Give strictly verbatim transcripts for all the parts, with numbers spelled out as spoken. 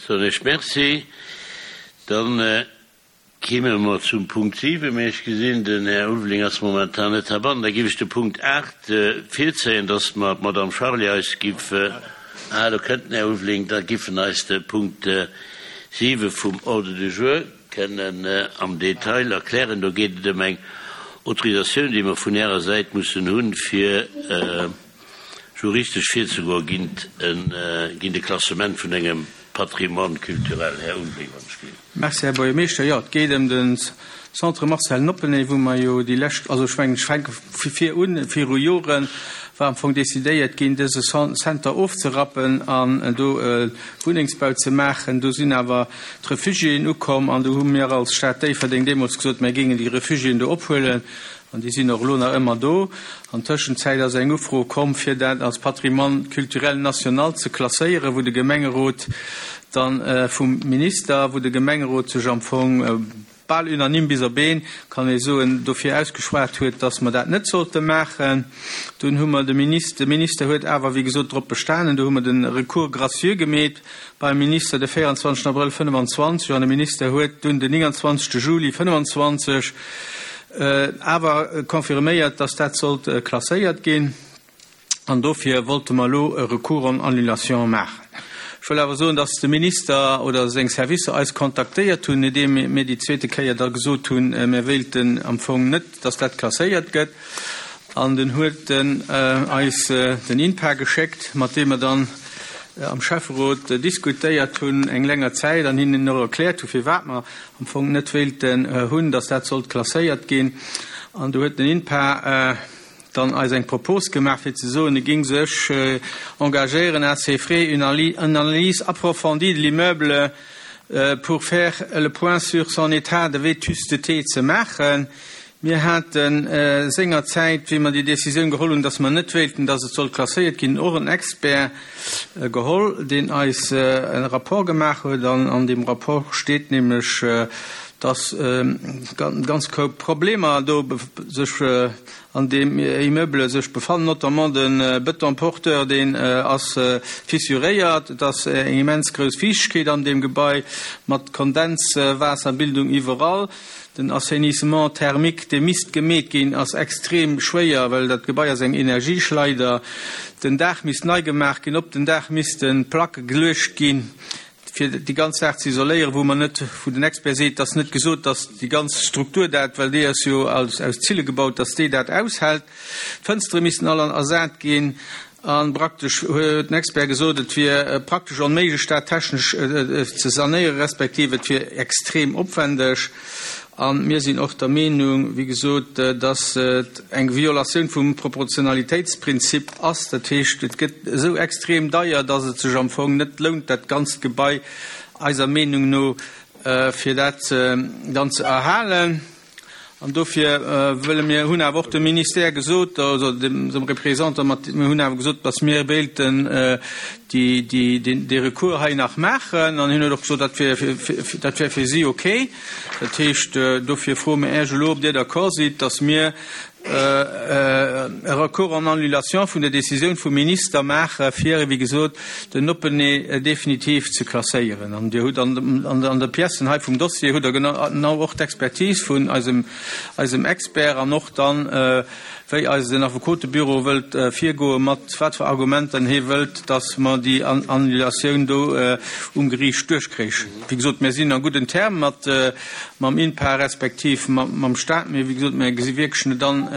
Soen ech Merci. Dann kéime mer zum Punkt siwen, mä ech gesinn, den Här Ulveling ass momentan net heibannen. Da géif ech de Punkt aacht virzéien, dass mer d'Madame Charlé eis giff, ah, do kënnt den Här Ulveling, da giff en eis de Punkt siwe vum Ordre du jour kënnen am Detail erklären. Do geet et ëm eng Autorisatioun, déi mer vun Ärer Säit mussen hunn, fir juristesch virzegoe géint e Klassement vun engem Patrimoine culturel. Här Ulveling, wann ech gleewen. Merci, Här Buergermeeschter. Jo, et geet ëm de Centre Marcel Noppeney, wou mer jo déi lescht, also ech mengen, ech fänke vu vir un, viru Jore war am Fong decidéiert ginn, dëse Center ofzerappen an do Wunnengsbau ze maachen. Do sinn awer d'Refugiéen ukomm an do hu mir als Stad Déifferdeng deemools gesot, mir géingen déi Refugiéen do ophuelen an déi sinn och elo nach ëmmer do. An Tëschenzäit ass eng Ufro komm, fir dat als Patrimoine culturel national ze klasséieren, wou de Gemengerot dann vum Minister, wou de Gemengerot sech am Fong bal unanime bis op een, kann ee soen, dofir ausgeschwat huet, dass mer dat net sollte maachen. Dunn hu mer de Minister, de Minister huet awer, wéi gesot, drop bestanen, do hu mer de Recours gracieux gemeet beim Minister de véierundzwanzegsten Abrëll fënnefenzwanzeg an de Minister huet dunn den nénganzwanzegste Juli fënnefenzwanzeg awer confirméiert, dass dat sollt klasséiert ginn. An dofir wollte mer elo e Recours en annulation maachen. Ech wëll awer soen, dass de Minister oder seng Servicer eis kontaktéiert hunn, nodeem mir déi zweete Kéier da gesot hunn, mir wéilten am Fong net, dass dat klasséiert gëtt. An dunn huet en eis den INPA geschéckt, mat deem mer dann am Schäfferot diskutéiert hunn eng länger Zäit an hinnen och erkläert hu firwat mer am Fong net wéilten hunn, dass dat sollt klasséiert ginn. An do huet den INPA dann eis eng Propos gemaach, fir ze soen, e géing sech engagéieren à ses frais une analyse approfondie de l'immeuble pour faire le point sur son état de vétusteté ze maachen. Mir hate sengerzäit, wéi mer déi Décisioun geholl hunn, dass mer net wéilten, dass et sollt klasséiert ginn, och en Expert geholl, deen eis e Rapport gemaach huet. An an deem Rapport steet nämlech, dass ganz Koup Problemer do sech an deem Immeuble sech befannen, notamment de Béton porteur, deen ass fissuréiert, et ass eng immens grouss Fiichtegkeet an deem Gebai mat Kondenswaasserbildung iwwerall. Den Assainissement thermique, dee misst gemeet ginn, ass extrem schwéier, well dat Gebai ass eng Energieschleider. Den Daach misst nei gemaach ginn, op den Daach misste Placke geluecht ginn, fir déi ganz Saach ze isoléieren, wou mer net, wou den Expert seet, dass net gesot, dass déi ganz Struktur dat, well déi ass jo aus aus Zille gebaut, dass déi dat aushält. D'Fënstere missten all ersat ginn a praktesch huet den Expert gesot, et wier praktesch onméiglech, dat technesch ze sanéieren, respektiv et wier extrem opwendeg. A mir sinn och der Meenung, wéi gesot, dass et eng Violatioun vum Proportionalitéitsprinzip ass. Dat heescht, et gëtt esou extrem deier, dass et sech am Fong net lount, dat ganzt Gebai eiser Meenung no, fir dat dann ze erhalen. An dofir wëlle mir, hunn awer och dem Ministère gesot, also dem Représentant, mat, mir hunn awer gesot, dass mir wéilten déi, déi, deen, dee Recours hei nach maachen. An hien huet och gesot, dat wär, dat wär fir si okay. Dat heescht, dofir froe mir Iech elo, ob Dir d'accord sidd, dass mir e Recours en annulation vun der Décisioun vum Minister maache fir, wéi gesot, den Oppenee definitiv ze klasséieren. An Dir hutt an, an, an de Piècen hei vum Dossier hutt Der genau och d'Expertise vun eisem, eisem Expert an och dann, wéi eisen Affekotebüro wëllt virgoe mat wat fir Argumenten hie wëllt, dass mer déi Annulatioun do um Geriicht duerchkréichen. Wéi gesot, mir sinn a gudden Terme mat mam INPA respektiv mam Staat, mee wéi gesot, mir gesi wierklech net an,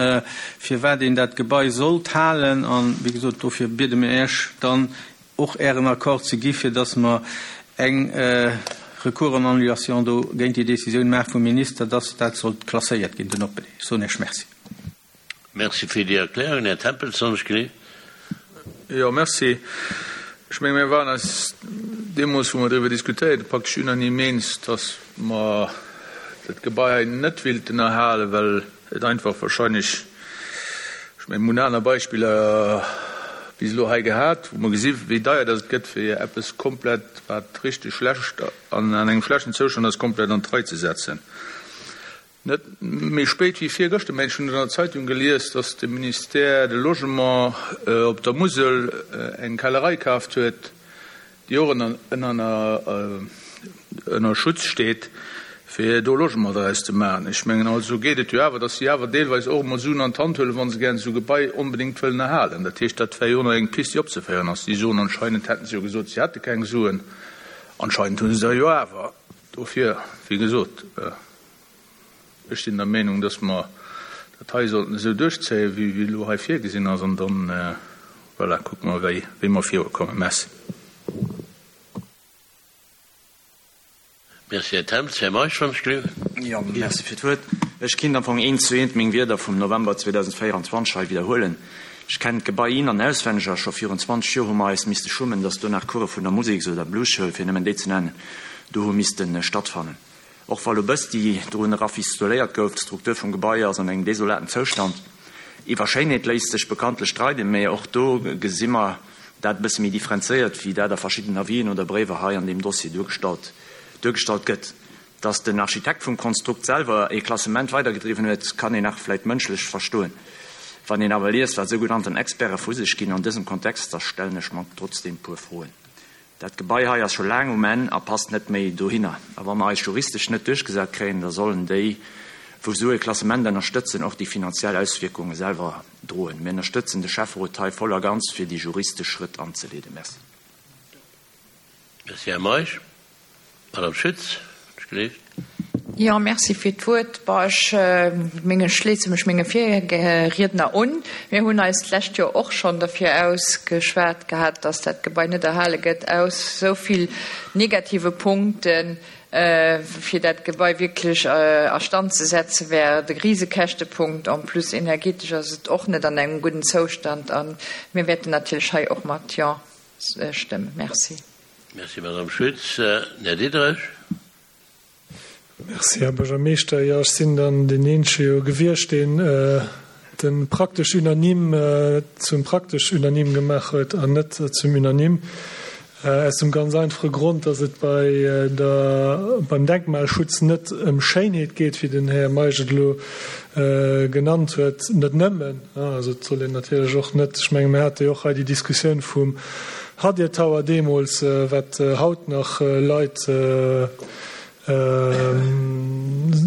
firwat een dat Gebai sollt halen. An wéi gesot, dofir biede mir Iech dann och Ären Accord ze gi fir dass mer eng Recours en annulation do géint déi Décisioun maache vum Minister, dass dat sollt klasséiert ginn, den Oppenee. Ech soen Iech Merci. Merci fir déi Erklärung. Här Tempels, soll ech gleewen? Jo, merci. Ech menge mir waren eis deemools, wou mer driwwer diskutéiert hunn, praktesch unanime eens, dass mer dat Gebai hei net wéilten erhalen, well et einfach wahrscheinlech, ech menge mir hunn aner Beispiller bis elo hei gehat, wou mer gesi wéi deier dass et gëtt, fir eppes komplett, wat richteg schlecht an an engem schlechten Zoustand ass, komplett an d'Rei ze setzen. Net méi spéit wéi virgëschter, mengen ech, hunn ech an der Zeitung gelies, dass de Ministère de Logement op der Musel eng Kellerei kaaft huet, déi och ënner, ënner, ënner Schutz steet, fir do Logement draus ze maachen. Ech mengen, also geet et jo awer, datt si awer deelweis och emol Suen an d'Hand huelen, wa se gären esou Gebai onbedéngt wëllen erhalen. Dat heescht, dat wär jo och nach eng Pist, déi opzeféieren ass. Si soen, anscheinend hätten se jo gesot, si hätte keng Suen. Anscheinend hu se der jo awer. Dofir, wéi gesot, ech sinn der Meenung, datt mer dat hei sollten esou duerchzéien, wéi wéi elo hei virgesinn ass, an dann, voilà, kucke mer, wéi wéi mer virukommen. Merci. Merci, Här Temps. Här Meisch, wann ech gleewen. Jo, merci fir d'Wuert. Ech kinnt am Fong eent zu eent meng Wierder vum November zweedausendvéierundzwanzeg hei widderhuelen. Ech kennen d'Gebai in an auswenneg a scho virun zwanzeg Joer hu mer eis misste schummen, dass do nach Course vun der Museks oder Bluesschoul, fir nëmmen déi ze nennen, do hu misste stattfannen. Och wa lo bëssti drun rafistoléiert gouf, d'Struktur vum Gebai ass an engem desolaten Zoustand. Iwwer Schéinheet léisst sech bekanntlech streiden, mä och do gesi mer dat e bësse méi differenzéiert, wéi dat a verschiddenen Avisen oder Bréiwer hei an deem Dossier duergestallt duergestallt gëtt. Datt den Architekt vum Konstrukt selwer ee Klassement weidergedriwwen huet, kann een nach vläit mënschlech verstoen. Wann een awer liest, wat sougenannten Experte vu sech ginn an dësem Kontext, da stellen ech mer trotzdeem puer Froen. Dat Gebai hei ass scho laang um Enn a passt net méi dohinner. A wa mer eis juristesch net duerchgesat kréien, da sollen déi, wou esou e Klassement ënnerstëtzen, och déi finanziell Auswierkunge selwer droen. Mir ënnerstëtzen de Schäfferot hei voll a ganz, fir déi juristesch Schrëtt anzeleeden. Merci. Merci, Här Meisch. Madame Schütz, ech gleef. Jo, merci fir d'Wuert. Bon, ech menge schléisse mech menge Virriedner un. Mir hunn eis d'lescht Joer och schonn derfir ausgeschwat gehat, dass dat Gebai net erhale gëtt aus esou vill negative Punkten. Fir dat Gebai wierklech a Stand ze setzen, wär et e Risekäschtepunkt. En plus energetesch ass et och net an engem gudden Zoustand. A mir wäerten natierlech hei och mat Jo stëmmen. Merci. Merci, Madame Schütz. Här Diderich. Merci, Här Buergermeeschter. Jo, ech sinn dann deen Eenzege jo gewiescht, deen de praktesch unanime zum praktesch unanime gemaach huet an net zum unanime. Aus dem ganz einfache Grond, dass et bei der, beim Denkmalschutz net ëm Schéinheet geet, wéi den Här Meisch et elo genannt huet, net nëmmen. Also et soll een natierlech och net, ech menge mir hate jo och hei déi Diskussioun vum Hadir Tower deemools, wat haut nach Leit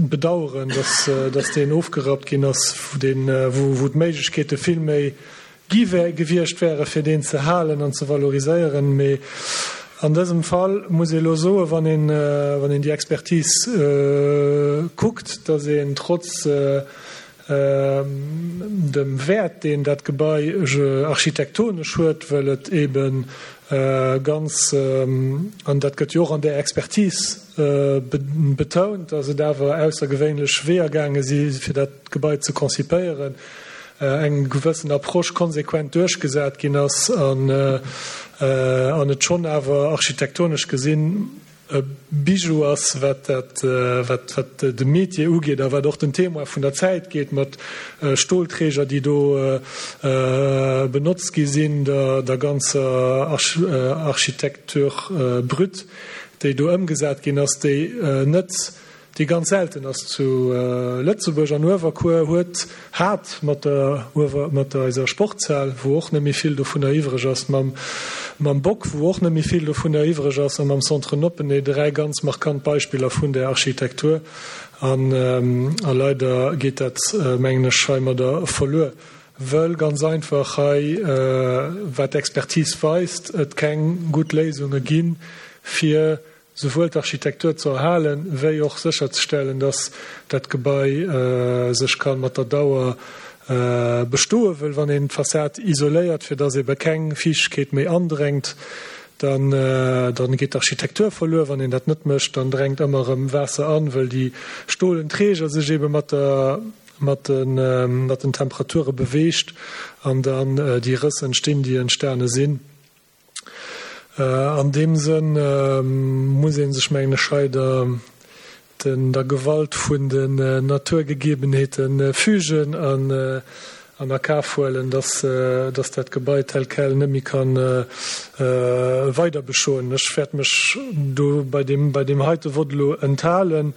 bedauern, dass, dass deen ofgerappt ginn ass, deen, wou, wou d'Méiglechkeete vill méi gi gewiescht wäre fir deen ze halen an ze valoriséieren. Mee an dësem Fall muss ee elo soen, wann een, wann een déi Expertise kuckt, dass een trotz dem Wäert, deen dat Gebai architektonesch huet, well et ebe ganz, an dat gëtt jo och an där Expertise betount, dass et awer aussergewéinlech Weeër gaange si fir dat Gebai ze konzipéieren, eng gewëssen Approche konsequent duerchgesat ginn ass an et schonn awer architektonesch gesinn e Bijou ass, wat dat, wat, wat de Métier ugeet a wat och den Témoin vun der Zäit geet, mat Stolträger, déi do benotzt gi sinn, der, der ganzer Architecture brute, déi do ëmgesat ginn ass, déi net, déi ganz selten ass zu Lëtzebuerg. An Uewerkuer huet, hat mat der Uewer, mat der eiser Sportshal, wou och net méi vill dovunner iwwreg ass, mam, mam Bock, wou och net méi vill dovunner iwwreg ass, a mam Centre Noppeney dräi ganz markant Beispiller vun där Architektur. An, a leider geet dat, mengen ech, heimadder verluer, wëll ganz einfach hei, wat d'Expertise weist, et keng gutt Léisunge ginn, fir souwuel d'Architektur ze erhalen, wéi och sécherzestellen, dass dat Gebai sech ka mat der Dauer bestoen. Wëll wann een d'Fassad isoléiert, fir dass ebe keng Fiichtegkeet méi andrängt, dann, dann geet d'Architektur verluer. Wann een dat net mécht, dann drängt ëmmer erëm Waasser an, wëll déi stolen Träger sech ebe mat der, mat den, mat den Temperature beweegt an dann déi Rëss entstinn, déi entstane sinn. An deem Sënn muss ee sech, mengen ech, hei der der Gewalt vun den Naturgegebenheete fügen an a Kaf huelen, dass dat Gebai tel quel net méi ka weiderbestoen. Ech wäert mech do bei deem bei deem heite Vott elo enthalen,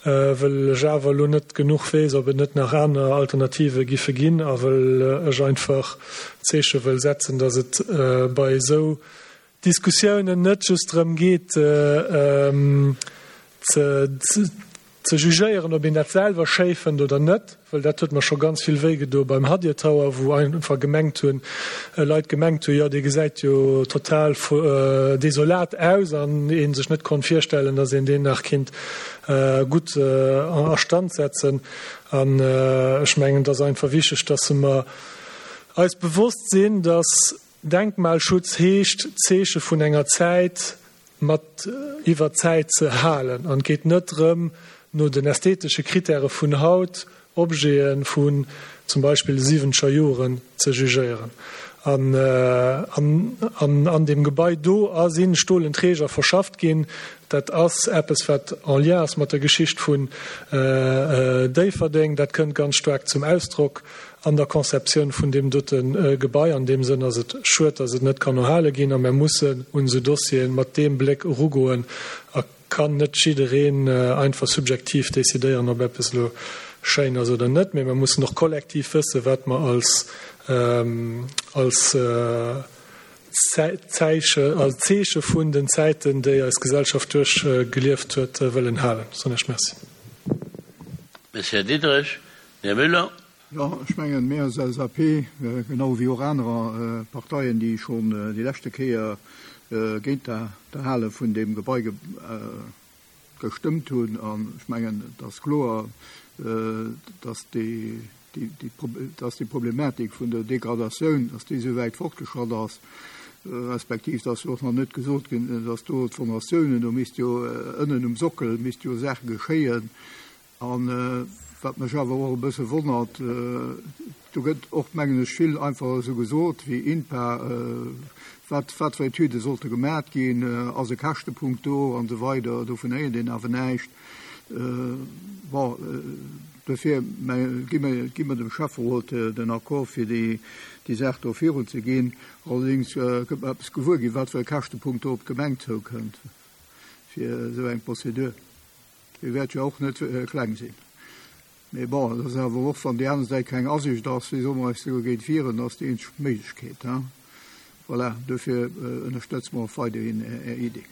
wëll ech awer elo net genuch weess, ob et net nach aner Alternative giffe ginn a wëll ech einfach d'Zeeche wëll setzen, dass et bei esou Diskussiounen net just drëm geet ze ze jugéieren, ob een dat selwer schéi fënnt oder net, well dat huet mer scho ganz vill wéi gedo beim Hadir Tower, wou einfach gemengt hunn, Leit gemengt hunn, jo dee gesäit jo total desolat aus an ee sech net konnt virstellen, datt een deen nach kinnt gutt a Stand setzen. An ech mengen, et ass einfach wichteg, datt mer eis bewosst sinn, datt Denkmalschutz heescht, d'Zeeche vun enger Zäit mat iwwer d'Zäit ze halen. An et geet net drëm, no den ästhetesche Kritäre vun haut Objete vun zum Beispill de siwwenzeger Joren ze jugéieren. An an deem Gebai do a si stolen Träger verschafft ginn. Dat ass eppes, wat en lien ass mat der Geschicht vun Déifferdeng. Dat kënnt ganz staark zum Ausdrock an der Conceptioun vun deem dote Gebai. An deem Sënn ass et schued, datt et net kann erhale ginn. A mer mussen un esou Dossiere mat deem Bléck erugoen a kann net jiddereen einfach subjektiv decidéieren, ob eppes elo schéin ass oder net. Mee mer mussen och kollektiv wëssen, wat mer als als Zeeche als Zeeche vun den Zäiten, déi eis Gesellschaft duerchgelieft huet, wëllen halen. Soen ech Merci. Merci, Här Diderich. Här Müller. Jo, ech mengen, mir als L S A P, genau wéi och anerer Parteien, déi schonn déi leschte Kéier géint d'Erhale vun deem Gebai gestëmmt hunn, an ech mengen, et ass kloer, dass déi, dass déi Problematik vun der Degradatioun, dass déi esou wäit fortgeschratt ass, respektiv dass jo och nach net gesot ginn, dass do d'Fondatiounen, do misst jo ënnen um Sockel misst jo Saache geschéien. An wat mech awer och e bësse wonnert, do gëtt och, mengen ech, vill einfach esou gesot wéi INPA, wat wat fir Etüde sollte gemat ginn, ass e Käschtepunkt do an esou weider, dovun héiert een awer näischt. Bon, dofir gi mir gi mir dem Schäfferot den Accord fir déi déi Saach do virunzeginn. Allerdéngs kënnt mer eppes gewuer ginn, wat fir e Käschtepunkt do op d'Gemeng zoukënnt fir esou eng Prozedur. Déi wäert jo och net kleng sinn. Mee bon, et ass awer och, wann déi aner Säit keng Asiicht ass, wéi solle mer eis dogéint wieren? Dat ass déi eenzeg Méiglechkeet. Voilà, dofir ënnerstëtze mer och weiderhin Är Idee.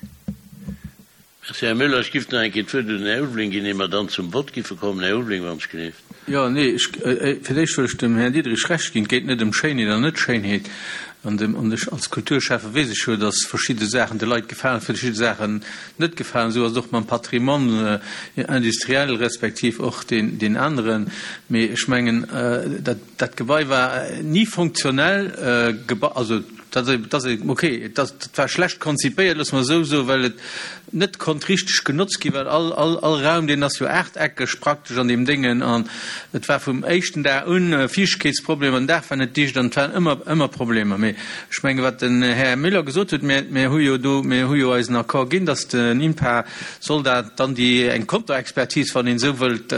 Merci, Här Müller. Ech giff nach eng Kéier d'Wuert un den Här Ulveling ginn, ier mer dann zum Vott giffe kommen. Här Ulveling, wann ech gleeft. Jo, nee, ech, fir d'éischt wëll ech dem Här Diderich Recht ginn, Et geet net ëm Schéinheet an Net-Schéinheet. An dem, an ech als Kulturschäffe weess ech jo, datt verschidde Saachen de Leit gefalen, verschidde Saachen net gefalen. Esou ass et och mam Patrimoine industriel respektiv och deen, deen aneren. Mee ech mengen, dat, dat Gebai war ni funktionell, Geba, also dat, dat, okay, dat, dat war schlecht konzipéiert, loosse mer esou soen, well et net konnt richteg genotzt ginn, well all, all, all Raum, deen ass jo aachteckeg praktesch an deem Déngen an et war vum éischten Dag un Fiichtegkeetsproblemer, den Daach war net dicht an et waren ëmmer, ëmmer Problemer. Mee ech menge wat den Här Müller gesot huet, mir, mir hu jo do, mir hu jo eisen Accord ginn, datt den INPA soll dat dann déi eng Konterexpertise, wann een esou wëllt,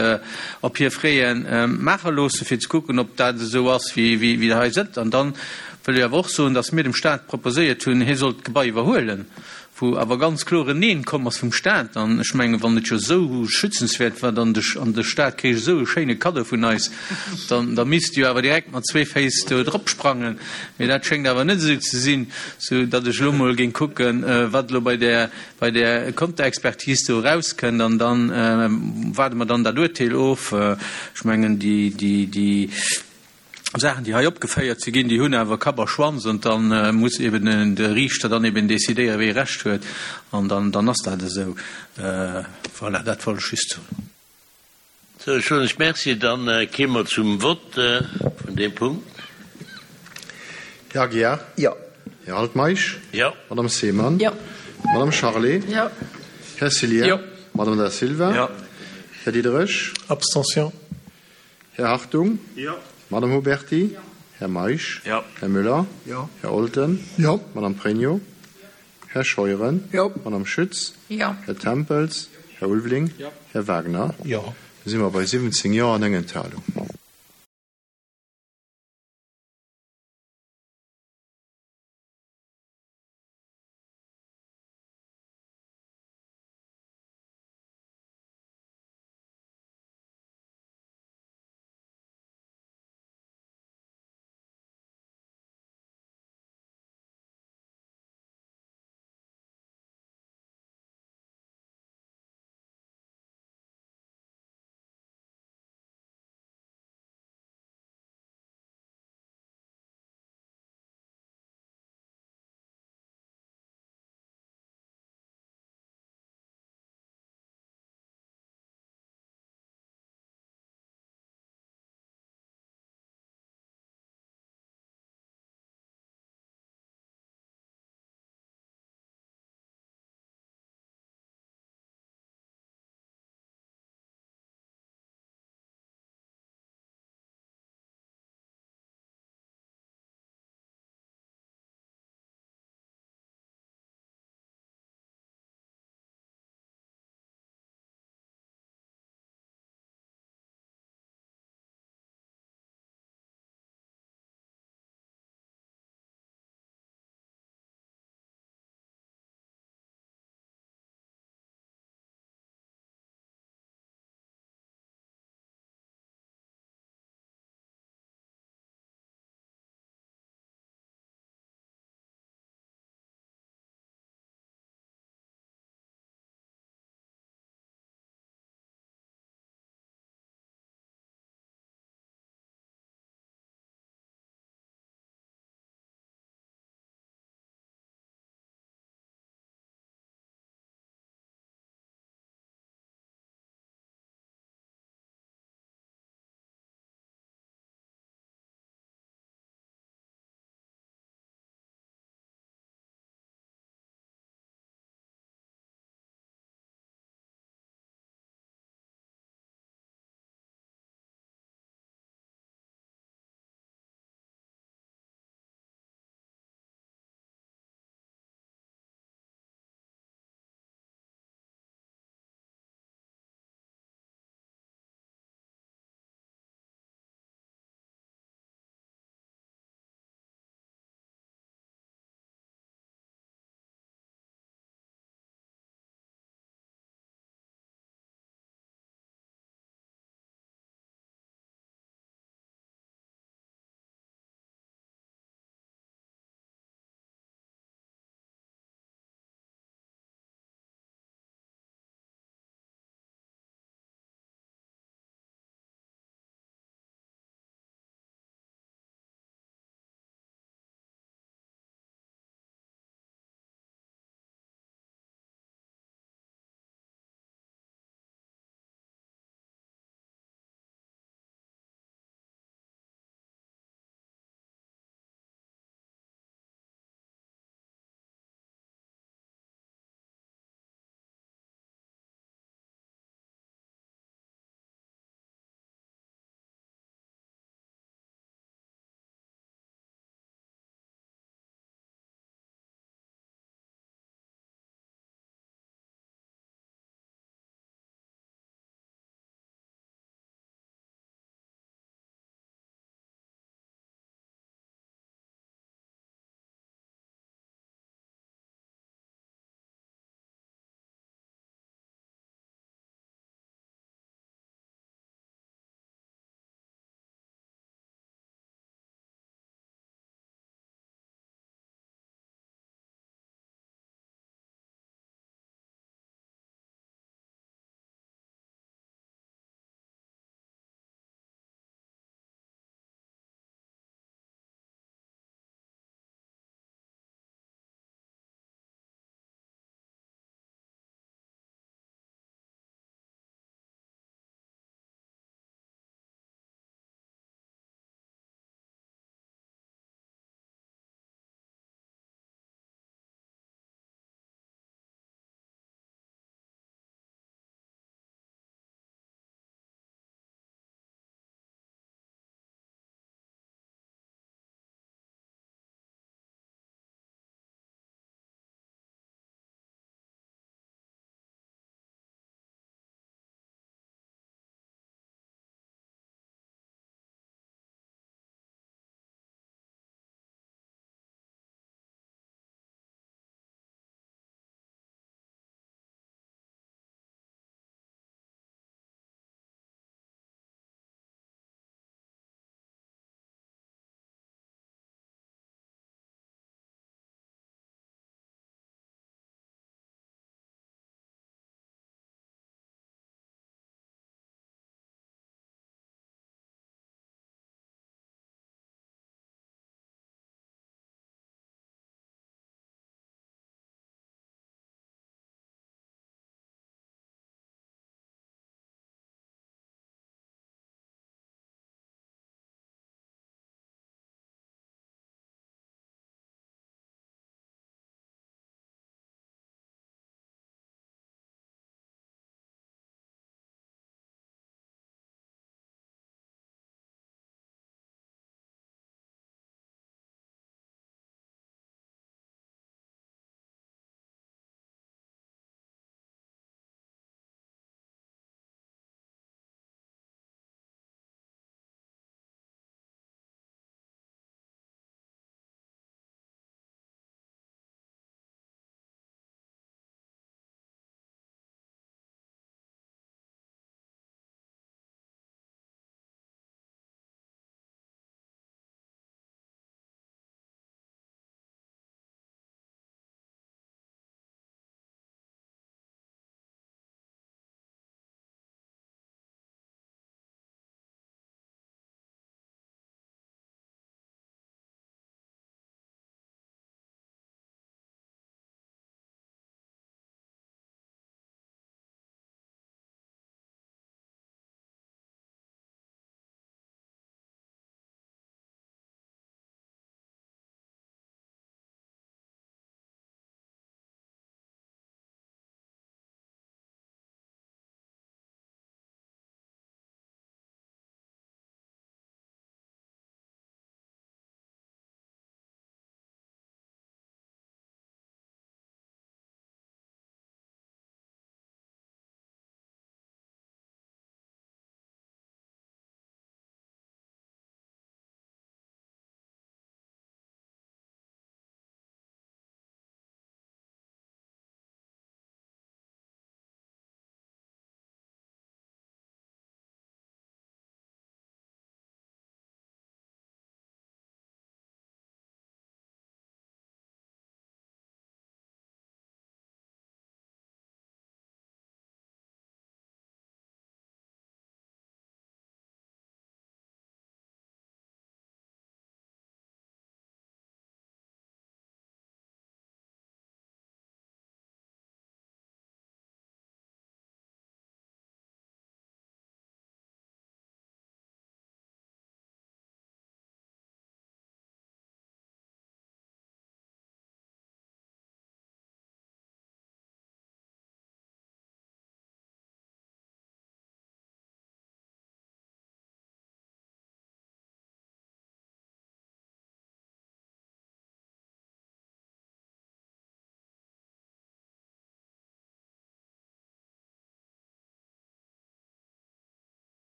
op hir Frais maache loosse fir ze kucken, ob dat esou ass wéi, wéi, wéi dat hei sëtzt. An dann wëll ech awer och soen, datt mir dem Stat proposéiert hunn, hie sollt d'Gebai iwwerhuelen, wou awer ganz kloer en Neen komm ass vum Stat. An ech mengen, wann et jo esou schützenswäert war, dann de, an de Stat kricht esou e schéine Kaddo vun eis, dann, da misst jo awer direkt mat zwee Féiss do drop sprangen. Mee dat schéngt awer net esou ze sinn, sou datt ech elo mol géing kucken, wat elo bei där, bei där Konterexpertise do erauskënnt, an dann waarde mer dann dat Urteel of. Ech mengen, déi, déi, déi Saachen, déi hei opgeféiert si ginn, déi hunn awer Kapp a Schwanz an dann muss eben de Riichter dann eben decidéieren, wee Recht huet an dann, dann ass dat esou. Voilà, dat wollt ech just soen. Sou, ech soen lech Merci. Dann kéime mer zum Vott vun deem Punkt. Här Aguiar. Jo. Här Altmeisch. Jo. Madame Seemann. Jo. Madame Charlé. Jo. Här Cillien. Jo. Madame Da Silva. Jo. Här Diderich. Abstention. Här Hartung. Jo. Madame Huberty. Här Meisch. Jo. Här Müller. Jo. Här Olten. Jo. Madame Pregno. Här Scheuren. Jo. Madame Schütz. Jo. Här Tempels. Här Ulveling. Jo. Här Wagner. Jo. Da si mer bei siwwenzéng Jo an eng Enthalung.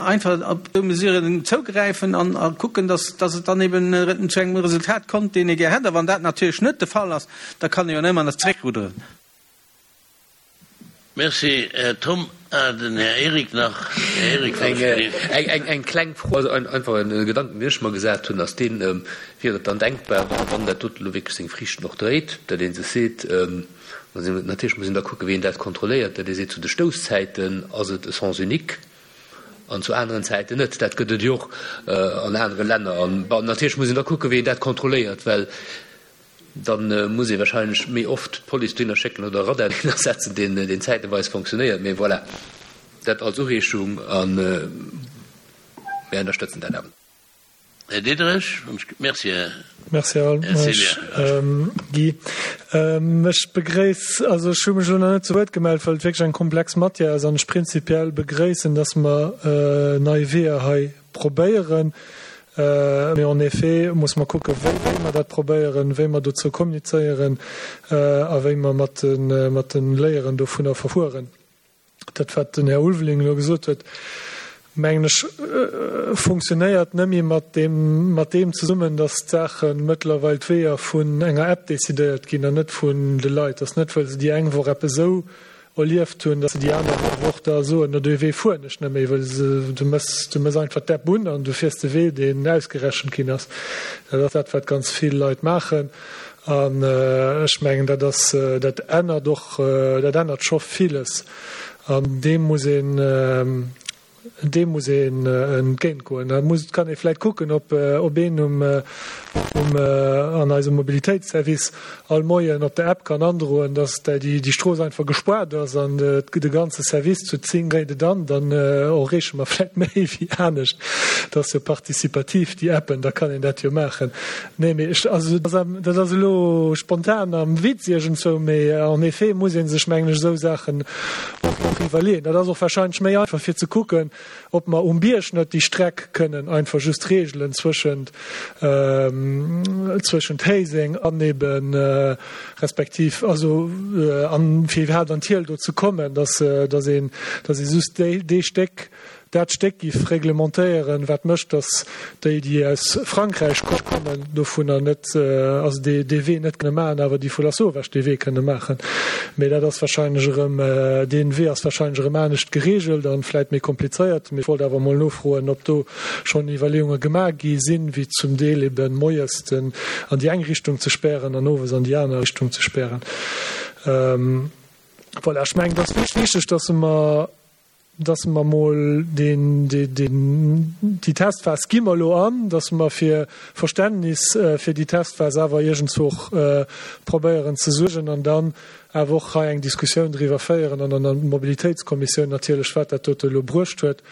Einfach op déi Mesuren zougräifen an a kucken, dass, dass et dann eben zu engem Resultat kommt, deen ee gär hätt. A wann dat natierlech net de Fall ass, da kann ee jo ëmmer nach zeréckrudderen. Merci, Här Thom. Den Här Eric nach. Här Eric Eng, eng, eng kleng Fro, also einfach e Gedanken, deen ech mer gesat hunn, ass deen, Wier et dann denkbar, wann dat doten elo wierklech seng Friichten och dréit, datt ee sech seet, natierlech muss een da kucken, wéi een dat kontrolléiert, datt ee seet, zu de Stousszäiten ass et e Sens unique an zu aneren Zäiten net. Dat gëtt et jo och an anere Länner. An natierlech muss een da kucken, wéi een dat kontrolléiert, well da muss ee wahrscheinlech méi oft d'Police dohinner schécken oder e Radar dohinner setzen, deen, deen zäiteweis fonctionnéiert. Mee voilà, dat als Ureegung a mir ënnerstëtzen dat awer. Här Diderich, Merci, Här Merci, Här Guy. Ech begréiss, also ech hu mech elo nach net zu Wuert gemellt, well et wierklech eng komplex Matière ass an ech prinzipiell begréissen, dass mer nei Weeër hei probéieren. Mee en effet muss mer kucken, wéi wéi mer dat probéieren, wéi mer dozou kommunizéieren a wéi mer mat de mat de Léieren dovunner verfueren. Dat, wat den Här Ulveling elo gesot huet, mengen ech, funktionéiert nëmme mat deem mat deem zesummen, dass d'Saache mëttlerweil d'Weeër vun enger App decidéiert ginn an net vun de Leit. Dass net, well se déi eng Woch eppes esou erlieft hunn, dass se déi aner Woch da soen, no dee Wee fueren ech net méi, well se, du méchs, du méchs einfach d'App un an du fiers de Wee, deen ausgerechent ginn ass. Dat ass dat, wat ganz vill Leit maachen. An ech mengen, dat ass, dat ännert och, dat ännert scho villes. An deem muss een, deem muss een entgéintgoen. Da muss, kann ee vläicht kucken, ob, ob een um, um, an eisem Mobilitéitsservice all Moien op der App kann androen, dass déi, déi Strooss einfach gespaart ass an de ganze Service zu zéng dréit et an, dann erreeche mer vläicht méi wéi anescht. Dat ass jo participativ, déi Appen, da kann een dat jo maachen. Nee, mee ech, also dat ass elo spontan am Witz iergendzwou, mee en effet muss ee sech, mengen ech, esou Saachen och iwwerleeën. Dat ass och wahrscheinlech méi einfach fir ze kucken, ob mer um Bierg net déi Streck kënnen einfach just regelen zwëschent, zwëschent Héiseng an eben respektiv also an fir iwwerhaapt an d'Hiel do ze kommen, dass, dass een, dass ee just déi, dee Stéck, dat Stéck giff reglementéieren, wat mécht, dass déi, déi aus Frankräich kommen, dovunner net, also dee, dee Wee net kënne maachen, awer déi vu Lasauvage dee Wee kënne maachen. Mee dat ass wahrscheinlech erëm, dee Wee ass wahrscheinlech erëm anescht geregelt an vläit méi komplizéiert. Mee ech wollt awer emol nofroen, ob do schonn Iwwerleeunge gemaach gi sinn, wéi zum Deel eben moies den an déi eng Richtung ze spären an owes an déi aner Richtung ze spären. Voilà, ech mengen, et ass wichteg, dass mer, dass mer emol deen, deen, déi Testphas gi mer elo an, dass mer fir Verständnis fir déi Testphas awer iergendzwou och probéieren ze suergen an dann awer och hei eng Diskussioun driwwer féieren an an der Mobilitéitskommissioun natierlech, wat dat dote elo bruecht huet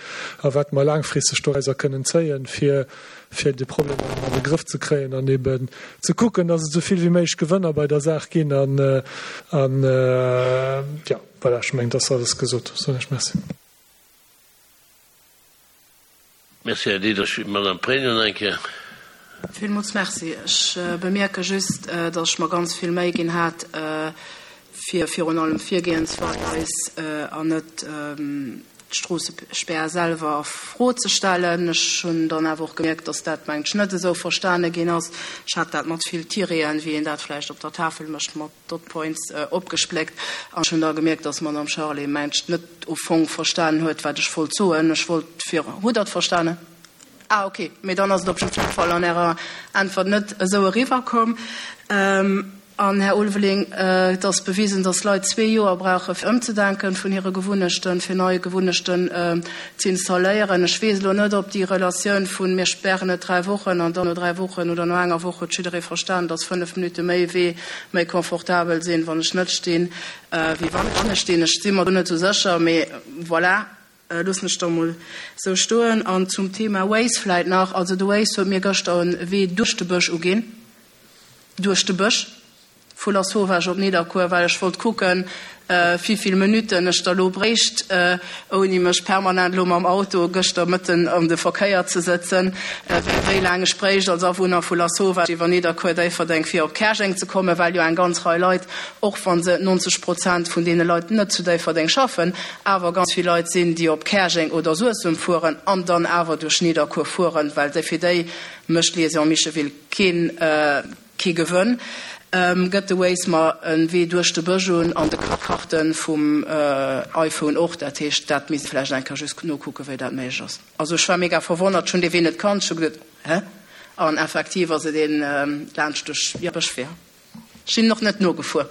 a wat mer laangfristeg dorauser kënnen zéien, fir, fir de Problem an de Grëff ze kréien an eben ze kucken, dass et esou vill wéi méiglech Gewënner bei der Saach ginn an, an, jo, voilà, ech mengen, et ass alles gesot. Soen ech Merci. Merci, Här Diderich. Madame Pregno nach eng Kéier. Villmools Merci. Ech bemierke just, dass ech mer ganz vill Méi ginn hat, fir virun allem d'Virgehensweis an net d'Stroossespär selwer a Fro ze stellen. Ech hunn dann awer och gemierkt, dass dat, mengt ech, net esou verstane ginn ass. Ech hat dat mat vill Tireten, wéi een dat vläicht op der Tafel mécht, mat Dot Points opgespléckt. An ech hunn da gemierkt, dass d'Madame Charlé, mengt ech, net au fong verstanen huet, wat ech wollt soen. Ech wollt fir. Hutt Der et verstanen? Ah, okay. Mee dann ass et op jidde Fall an Ärer Äntwert net esou eriwwerkomm. An, Här Ulveling, et ass bewisen, dass Leit zwee Joer brauche fir ëmzedenken vun hire Gewunnechten, fir nei Gewunnechten ze installéieren. Ech weess elo net, ob déi Relatioun vu mir spären et dräi Wochen an dann no dräi Wochen oder no enger Woch huet jidderee verstan, dass fënnef Minutte méi Wee méi confortabel sinn, wann ech net stinn, wéi wann ech stinn. Ech si mer do net esou sécher, mee voilà, loossen ech da mol esou stoen. An zum Thema Waze vläit nach, Also de Waze huet mir gëschter e Wee duerch de Bësch uginn, duerch de Bësch. vu Lasauvage op Nidderkuer, well ech wollt kucken, wéi vill Minutten ech da lo bréicht, ouni mech permanent lo mam Auto gëschter mëtten an de Verkéier ze sëtzen, wéi laang ech bréicht als Awunner vu Lasauvage iwwer Nidderkuer, Déifferdeng fir op Käerjeng ze kommen, well jo eng ganz Rei Leit, och wa se neunzeg Prozent vun deene Leit net zu Déifferdeng schaffen, awer ganz vill Leit sinn, déi op Käerjeng oder Suessem fueren an dann awer duerch Nidderkuer fueren, well fir déi mécht d'Liaison Micheville keen kee Gewënn. Gëtt de Waze mer e Wee duerch de Bësch un an de Karte vum iPhone och. Dat heescht, dat misst vläicht eng Kéier just nokucken, wéi dat méiglech ass. Also ech war mega verwonnert, ech hunn dee Wee net kannt, ech hu geduet, hä? An effektiv ass et een laanscht duerch, jo, Bëschwee. Ech sinn och net nogefuer.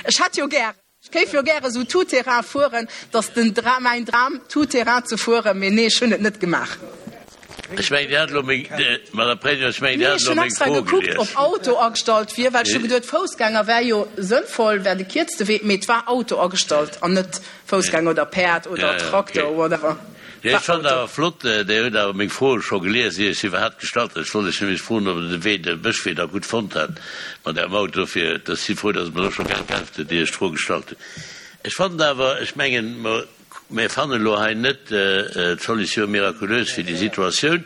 Ech hätt jo gären. Ech géif jo gäre sou tout terrain fueren, dass den Dram, mäin Dram tout terrain ze fueren, mee nee, ech hunn et net gemaach. Ech mengen, Dir hat elo meng, Madame Pregno, ech mengen, Dir Nee, hat ech elo hunn meng extra Fro gekuckt, gelies. ob Auto agestallt wier, well ech hu geduet, Foussgänger wär jo sënnvoll, wär de kierzte Wee, mee et war Auto agestallt an net Foussgänger oder Päerd oder Ja, ja, Traktor, okay. whatever. Jo, ech fand awer flott, Dir hutt awer meng Fro scho gelies, ier ech se iwwerhaapt gestallt hat. Ech wollt Iech nämlech froen, ob Der de Wee, de Bëschwee da gutt fonnt hat mat Ärem Auto. Dofir, ech si frou, dass Der mer do scho geäntwert hutt, ier ech d'Fro gestallt hunn. Ech fannen awer, ech mengen, mer, mir fannen elo hei net d'Solution miraculeuse fir déi Situatioun.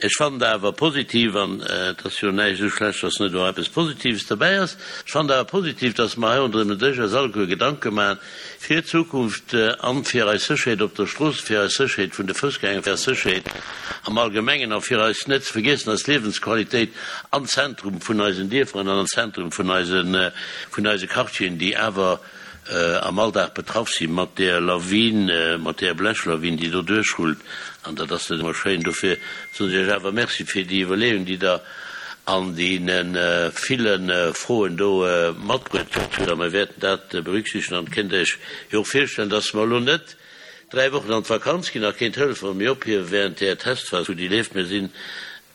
Ech fannen awer positiv, an et ass jo näischt esou schlecht, dass net och eppes Positives derbäi ass, ech fannen awer positiv, dass mer hei ronderëm den Dësch eis alleguer Gedanke maachen fir d'Zukunft an fir eis Sécherheet op der Strooss, fir eis Sécherheet vun de Foussgänger, fir eis Sécherheet am Allgemengen a fir eis, net ze vergiessen, eis Liewensqualitéit am Zentrum vun eisen Dierfer an am Zentrum vun eisen, vun eise Quartieren, déi awer am Alldag betraff si mat där Lawin, mat där Blechlawin, déi do duerchrullt. An dat ass net ëmmer schéin. Dofir soen ech Iech awer Merci fir déi Iwwerleeung, déi Der an deene ville Froen do matbruet hutt. A mir wäerten dat berücksichtegen. An kënnt Iech jo och virstellen, dass mer elo net dräi Wochen an d'Vakanz ginn a keen Telefon méi ophiewe während där Testphas, wou déi leeft. Mir sinn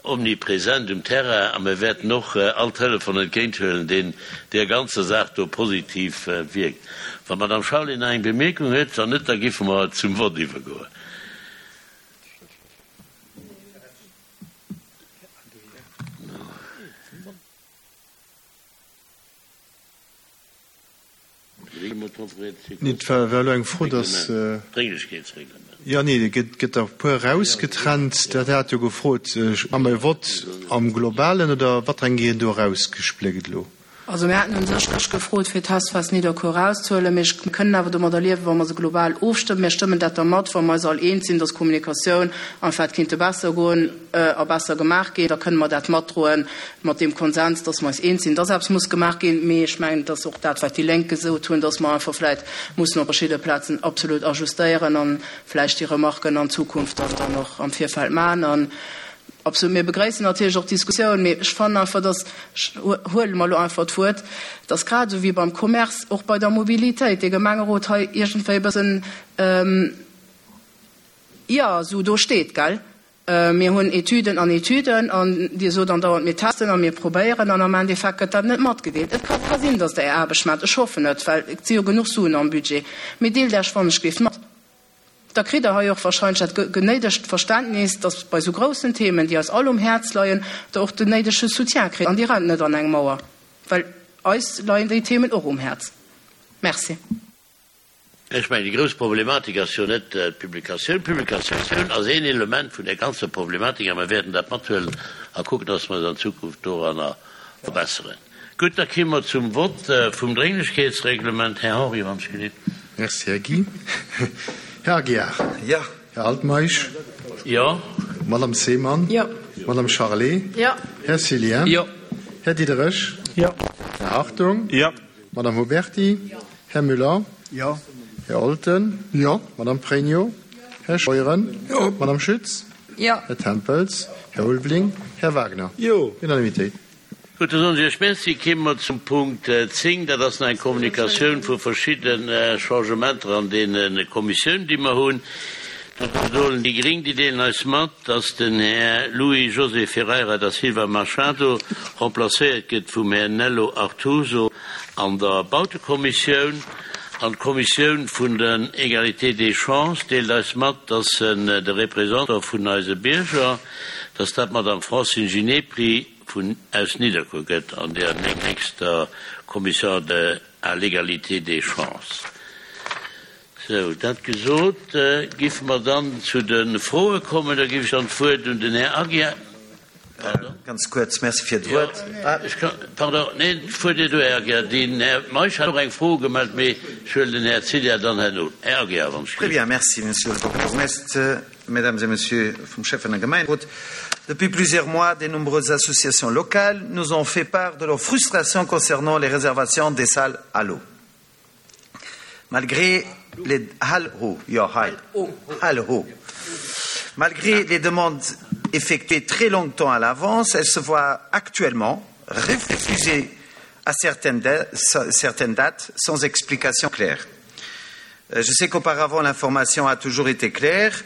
omnipresent um Terrain a mir wäerten och all Telefon entgéinthuelen, deen där ganzer Saach do positiv wierkt. Wann d'Madame Charlé nach eng Bemierkung huet, wann net, da géife mer zum Vott iwwergoen. Nee, et war elo eng Fro, dass. Jo, nee, et gëtt, gëtt der e puer erausgetrennt. Dat hat jo gefrot, Hu mer e Vott am Globalen oder wat eng ginn do erausgespléckt elo? Also mir haten u sech gefrot, fir d'Testphas Nidderkuer erauszehuelen, mee ech kënnen awer domadder liewen, wa mer se global ofstëmmen. Mir stëmmen dat da mat, wa mer eis all eens sinn, dass Kommunikatioun einfach kéinte besser goen a besser gemaach ginn. Da kënnen mer dat matdroen mat deem Konsens, dass mer eis eens sinn, dass eppes muss gemaach ginn. Mee ech mengen, dass och dat, wat déi Lénk gesot hunn, dass mer einfach vläicht mussen op verschidde Plazen absolut ajustéieren an vläicht déi Remarken an Zukunft dann och am Virfeld maachen. Absolut, mir begréissen natierlech och d'Diskussioun, mee ech fannen einfach, dass, ech huele mer elo einfach d'Wuert, dass grad esou wéi beim Commerce och bei der Mobilitéit dee Gemengerot hei iergendwéi e bëssen, jo, esou do steet, gell? Mir hunn Etüden an Etüden an Dir sot andauernd, mir testen a mir probéieren an am Endeffekt gëtt dat net matgedeelt. Et ka sinn, dass Der Är Aarbecht maacht, ech hoffen et, well et si jo genuch Suen am Budget, mee deelt Iech wannechgelift mat. Da kritt Der hei och wahrscheinlech dat genéidegt Verständnis, dass bei esou groussen Themen, déi eis all um Häerz leien, Der och den néidege Soutien kritt an Dir rennt net an eng Mauer, well eis leien déi Themen och um Häerz. Merci. Ech mengen, déi grouss Problematik ass jo net d'Publikatioun. D'Publikatioun ass een Element vun där ganzer Problematik a mir wäerten dat mathuelen a kucken, dass mer eis an Zukunft doranner verbesseren. Gutt, da komme mer zum Vott vum Drénglechkeetsreglement. Här Henri, wann ech gelift. Merci, Här Guy. Här Aguiar. Jo. Här Altmeisch. Jo. Madame Seemann. Jo. Madame Charlé. Jo. Här Cillien. Jo. Här Diderich. Jo. Här Hartung. Jo. Madame Huberty. Jo. Här Müller. Jo. Här Olten. Jo. Madame Pregno. Här Scheuren. Jo. Madame Schütz. Jo. Här Tempels. Här Ulveling. Här Wagner. Jo. Unanimitéit. Gutt, da soen ech Iech Merci. Kéime mer zum Punkt zéng. Dat ass nach eng Kommunikatioun vu verschidde Changementer an deene Kommissiounen, déi mer hunn. Dat bedoelen déi Gréng, déi deelen eis mat, dass den Här Luis José Ferreira da Silva Machado remplacéiert gëtt vum Här Nello Artuso an der Bautekommissioun. An d'Kommissioun vun den Égalité des chances deelt eis mat, dass de Représentant vun eise Bierger, dass dat d'Madame Francine Ginepri vun aus Nidderkuer gëtt an der nächster Commission de à l'égalité des chances. Sou, dat gesot, géife mer dann zu de Froe kommen. Da géif ech dann d'Wuert un den Här Aguiar. Pardon? Ganz kuerz, Merci fir d'Wuert. Ech kann, pardon, neen, d'Wuert ier du, Här Aguiar. Den Här Meisch hat och eng Fro gemellt, mee ech huelen den Här Cilla dann herno. Här Aguiar, wann ech Très bien, merci, Monsieur le Bourgmestre, Mesdames et Messieurs vum Schäffen a Gemengerot. Depuis plusieurs mois, de nombreuses associations locales nous ont fait part de leur frustration concernant les réservations des salles à l'eau. Malgré les Hall-ho, jo, hei, Hall-ho. Malgré les demandes effectuées très longtemps à l'avance, elles se voient actuellement refusées à certaines, certaines dates sans explication claire. Euh, je sais qu'auparavant l'information a toujours été claire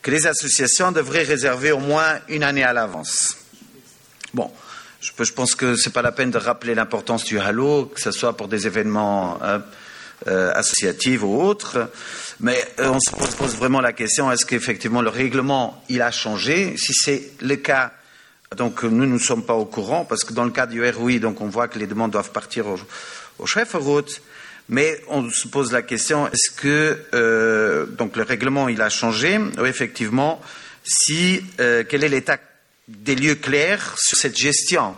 que les associations devraient réserver au moins une année à l'avance. Bon, je, je pense que ce n'est pas la peine de rappeler l'importance du halo, que ce soit pour des événements euh, euh, associatifs ou autres, mais euh, on se pose, pose vraiment la question est-ce qu'effectivement le règlement il a changé Si c'est le cas, donc nous ne sommes pas au courant, parce que dans le cas du R O I, donc on voit que les demandes doivent partir au, au chef route. Mais on se pose la question, est-ce que euh, donc le règlement il a changé ou effectivement, si, euh, quel est l'état des lieux clairs sur cette gestion?